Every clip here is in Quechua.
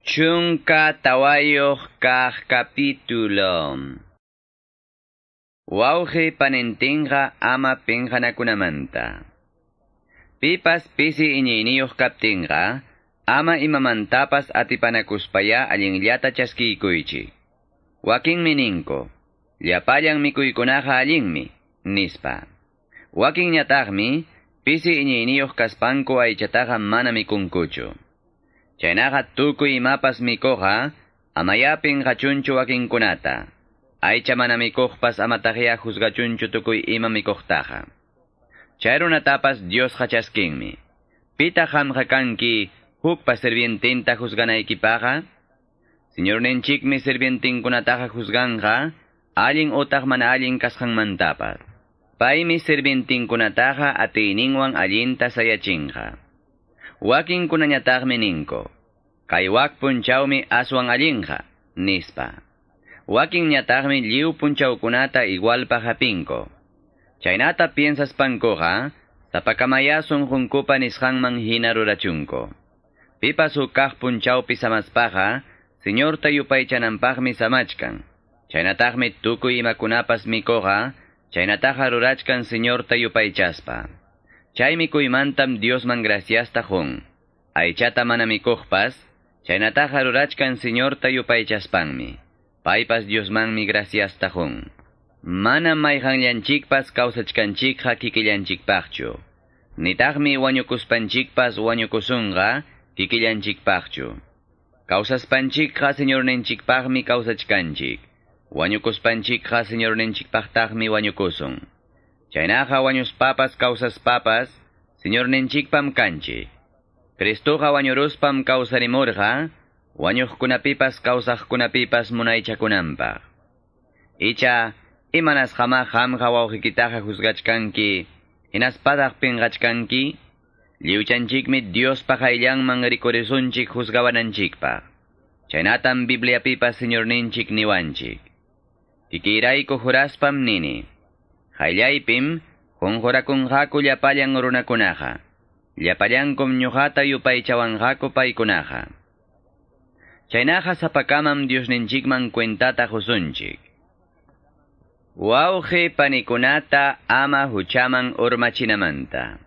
14 kaq capítulo. Wawqi panintinqa ama pinqanakunamanta. Pipas pisi iñiyniyuq kaptinqa, ama imamantapas atipanakuspaya allinllata chaskiykuychik. Wakinmi ninku, llapallan mikuykunaqa allinmi, nispa. Wakinñataqmi, pisi iñiyniyuq kaspanku aychataqa mana mikunkuchu. Chaynaqa tukuy imapas mikuqqa, amaya pinqachunchu wakinkunata. Aycha mana mikuqpas amataqya juzgachunchu tukuy ima mikuqtaqa. Chay runatapas Diosqa chaskinmi. Pitaq qamqa kanki hukpa sirvientinta juzganaykipaqa? Señorninchikmi sirvientinkunataqa juzganqa, allin utaq mana allin kasqanmantapas. Paymi sirvientinkunataqa atiyninwan allinta sayachinqa. Wakinkunañataqmi ninku, kay wak punchawmi aswan allinqa, nispa. Wakinñataqmi lliw punchawkunata igualpaq hapinku. Chaynata piensaspankuqa, sapakamaya sunqunkupa nisqanman hina rurachunku. Pipas huk kaq punchawpi samaspaqa, Señorta yupaychananpaqmi samachkan. Chaynataqmi tukuy imakunapas mikuqa, chaynataqa rurachkan Señorta yupaychaspa. Chay mikuymantam Diosman graciasta qun. Aychata mana mikuqpas, chaynataqa rurachkan Señorta yupaychaspanmi. Paypas Diosmanmi graciasta qun. Mana mayqanllanchikpas kawsachkanchikqa kikillanchikpaqchu. Nitaqmi wañukuspanchikpas wañukusunqa kikillanchikpaqchu. Kawsaspanchikqa Señorninchikpaqmi kawsachkanchik. Wañukuspanchikqa Señorninchikpaqtaqmi wañukusun. Chaynaqa wañuspapas kawsaspapas, Señorninchikpam kanchik. Cristoqa wañuruspam kawsarimurqa, wañuqkunapipas kawsaqkunapipas munaychakunanpaq. Icha, imanasqama qamqa wawqiykitaqa juzgachkanki, hinaspataq pinqachkanki? Lliwchanchikmi Diospa qayllanman rikurisunchik juzgawananchikpaq. Chaynatam Bibliapipas Señorninchik niwanchik. Kikiyrayku juraspam nini. Qayllaypim qunqurakunqaku llapallan runakunaqa. Llapallankum ñuqata yupaychawanqaku paykunaqa. Chaynaqa sapakamam Diosninchikman cuentata qusunchik. Wawqi panikunata ama huchaman urmachinamanta.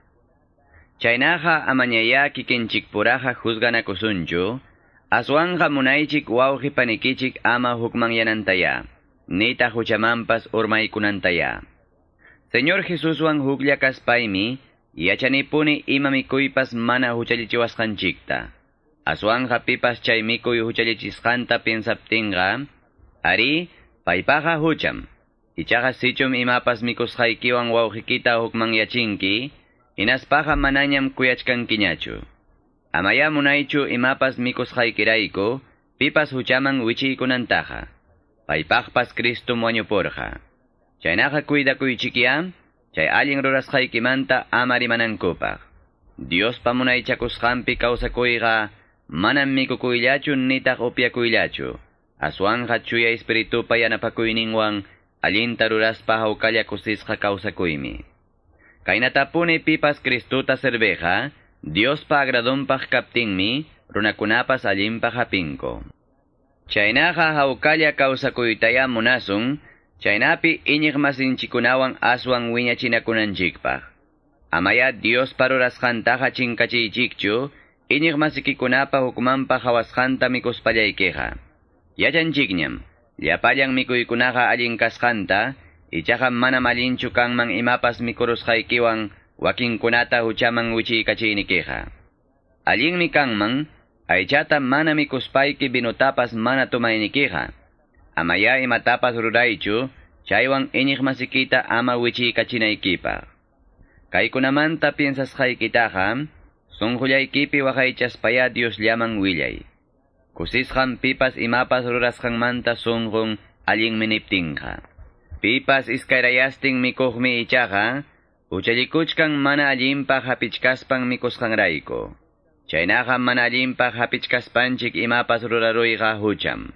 Chaynaqa amañaya kikinchikpuraqa juzganakusunchu, aswanqa munaychik wawqi panikichik ama hukmanyanantaya, nitaq huchamanpas urmaykunantaya. Señor Jesuswan huklla kaspaymi, yachanipuni ima mikuypas mana huchallichiwasqanchikta. Aswanqa pipas chay mikuy huchallichisqanta piensaptinqa, ari, paypaqa hucham. Ichaqa sichum imapas mikusqaykiwan wawqikita hukmanyachinki, hinaspaqa manañam kuyachkankiñachu. Amaya munaychu imapas mikusqaykirayku, pipas huchaman wichiykunantaqa. Paypaqpas Cristum wañupurqa. Chaynaqa cuidakuychikya, chay allin rurasqaykimanta ama rimanankupaq. Diospa munaychakusqanpi kawsakuyqa manam mikukuyllachu nitaq upyakuyllachu. Aswanqa chuya espiritupa yanapakuyninwan allinta ruraspa hawkalla kusisqa kawsakuymi. Kaynatapuni pipas Cristuta serviqa, Diospa agradonpaq kaptinmi, runakunapas allinpaq hapinku. Chaynaqa hawkalla kawsakuytaya munasun, chaynapi iñiq masinchikunawan aswan wiñachinakunanchikpaq. Amaya Diospa rurasqantaqa chinkachiychikchu, iñiq masikikunapa hukmanpa hawasqanta mikuspallaykiqa. Yachanchikñam, llapallan mikuykunaqa allin kasqanta, ichaqa manam allinchu kanman imapas mikurusqaykiwan wakinkunata huchaman wichiykachiynikiqa. Allinmi kanman, aychata mana mikuspayki vinutapas mana tomaynikiqa. Amaya imatapas ruraychu, chaywan iñiq masikita ama wichiykachinaykipaq. Kaykunamanta piensasqaykitaqa, sunqullaykipi waqaychaspaya Diosllaman willay. Kusisqam pipas imapas rurasqanmanta sunqun allinmi niptinqa. Pipas iskayrayastin mikuqmi ichaqa, huchallikuchkan mana allinpaq hapichkaspan mikusqanrayku. Chaynaqa mana allinpaq hapichkaspanchik imapas ruraruyqa hucham.